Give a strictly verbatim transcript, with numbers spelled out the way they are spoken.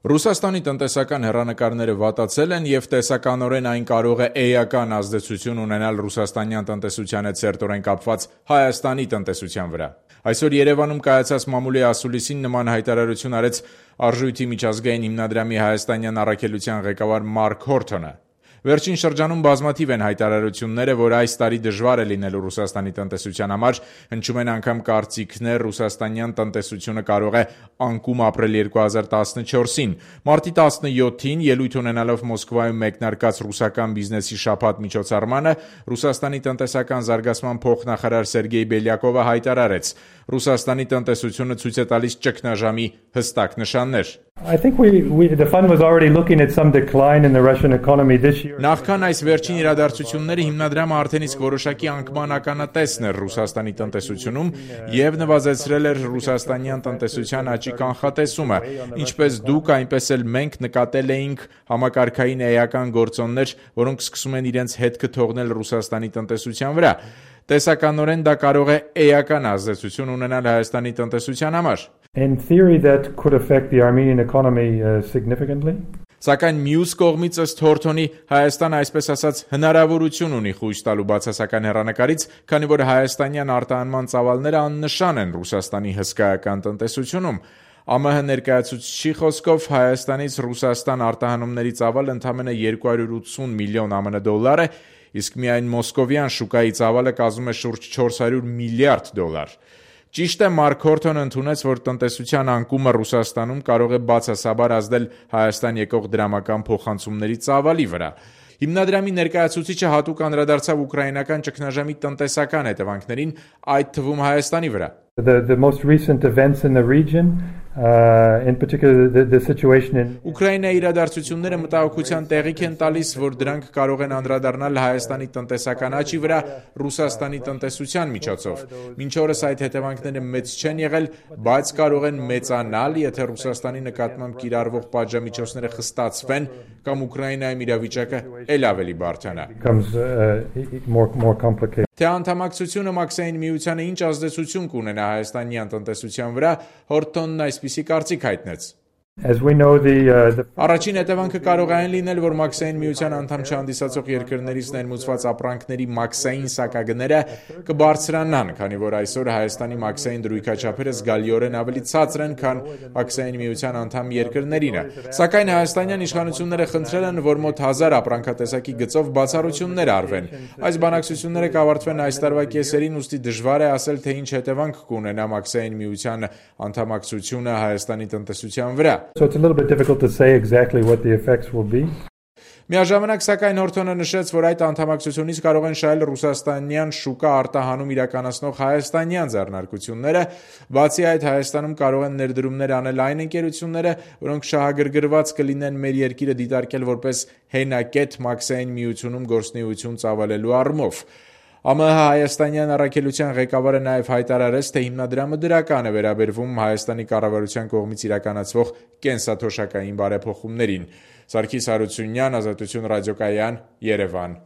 Ռուսաստանի տնտեսական հեռանկարները վատացել են և տեսականորեն այն կարող է էական ազդեցություն ունենալ ռուսաստանյան տնտեսության հետ սերտորեն կապված Հայաստանի տնտեսության վրա։ Այսօր Երևանում կայացած մամուլի ասուլիսին նման հայտարարություն արեց Արժույթի միջազգային հիմնադրամի հայաստանյան առաքելության ղեկավար Մարկ Հորթոնը։ Վերջին շրջանում բազմաթիվ են հայտարարությունները, որ այս տարի դժվար է լինելու Ռուսաստանի տնտեսության համար, հնչում են անգամ կարծիքներ ռուսաստանյան տնտեսությունը կարող է անկում ապրել երկու հազար տասնչորսին։ Մարտի տասնյոթին ելույթ ունենալով Մոսկվայում մեկնարկած ռուսական բիզնեսի շաբաթ միջոցառմանը Ռուսաստանի տնտեսական զարգացման փոխնախարար Սերգեյ Բելյակովը հայտարարեց. Ռուսաստանի տնտեսությունը ցույց է տալիս ճգնաժամի հստակ նշաններ։ I think we, we the fund was already looking at some decline in the Russian economy this year. Նախքան այս վերջին իրադարձությունները հիմնադրամը արդեն իսկ որոշակի անկման ականատեսն էր Ռուսաստանի տնտեսությունում եւ նվազեցրել էր ռուսաստանյան տնտեսության աճի կանխատեսումը, ինչպես դուք, այնպես էլ մենք նկատել էինք համակարգային էական գործոններ, որոնք սկսում են իրենց հետքը թողնել Ռուսաստանի տնտեսության վրա։ Տեսականորեն դա կարող է էական ազդեցություն ունենալ Հայաստանի տնտեսության համար։ In theory that could affect the Armenian economy uh, significantly. Սակայն մյուս կողմից ըստ Հորթոնի Հայաստանը այսպես ասած հնարավորություն ունի խույս տալու բացասական հեռանկարից, քանի որ հայաստանյան արտահանման ծավալները աննշան են Ռուսաստանի հսկայական տնտեսությունում։ ԱՄՀ ներկայացուցիչի խոսքով Հայաստանից Ռուսաստան արտահանումների ծավալը ընդամենը երկու հարյուր ութսուն միլիոն ԱՄՆ դոլար է, իսկ միայն մոսկովյան շուկայի ծավալը կազմում է շուրջ չորս հարյուր միլիարդ դոլար։ Ճիշտ է, Մարկ Հորթոնը ընդունեց, որ տնտեսության անկումը Ռուսաստանում կարող է բացասաբար ազդել Հայաստան եկող դրամական փոխանցումների ծավալի վրա։ Հիմնադրամի ներկայացուցիչը հատուկ անդրադարձավ ուկրաինական ճգնաժամի տնտեսական հետևանքներին, այդ թվում Հայաստանի վրա։ The, the most recent events in the region, uh, in particular the, the situation in Ուկրաինայի իրադարձությունները մտահոգության տեղիք են տալիս, որ դրանք կարող են անդրադառնալ Հայաստանի տնտեսական աճի վրա Ռուսաստանի տնտեսության միջոցով։ Մինչ օրս այդ հետևանքները մեծ չեն եղել, բայց կարող են մեծանալ, եթե Ռուսաստանի նկատմամբ կիրառվող պատժամիջոցները խստացվեն կամ Ուկրաինայում իրավիճակը ել ավելի բարդանա։ becomes uh, more, more complicated. Թե անդամակցությունը Մաքսային միությանը ինչ ազդեցություն կունենա հայաստանյան տնտեսության վրա, Հորթոնն այսպիսի կարծիք հայտնեց։ As we know, the, uh, the Առաջին հետևանքը կարող է այն լինել, որ Մաքսային միության անդամ չհանդիսացող երկրներից ներմուծված ապրանքների մաքսային սակագները կբարձրանան, քանի որ այսօր Հայաստանի մաքսային դրույքաչափերը զգալիորեն ավելի ցածր են, քան Մաքսային միության անդամ երկրներինը։ Սակայն հայաստանյան իշխանությունները խնդրել են, որ մոտ հազար ապրանքատեսակի գծով բացառություններ արվեն։ Այս բանակցությունները կավարտվեն այս տարվա կեսերին, ուստի դժվար է ասել, թե ինչ հետևանք կունենա Մաքսային միության անդամակցությունը Հայաստանի տնտեսության վրա։ So it's a little bit difficult to say exactly what the effects will be. Միաժամանակ սակայն Հորթոնը նշեց, որ այդ անդամակցությունից կարող են շահել ռուսաստանյան շուկա արտահանում իրականացնող հայաստանյան ձեռնարկությունները, բացի այդ Հայաստանում կարող են ներդրումներ անել այն ընկերությունները, որոնք շահագրգռված կլինեն մեր երկիրը դիտարկել որպես հենակետ Մաքսային միությունում գործունեություն ծավալելու առումով։ ԱՄՀ հայաստանյան առաքելության ղեկավարը նաև հայտարարեց, թե հիմնադրամը դրական է վերաբերվում Հայաստանի կառավարության կողմից իրականացվող կենսաթոշակային բարեփոխումներին։ Սարգիս Հարությունյան, Ազատություն ռադիոկայան, Երևան։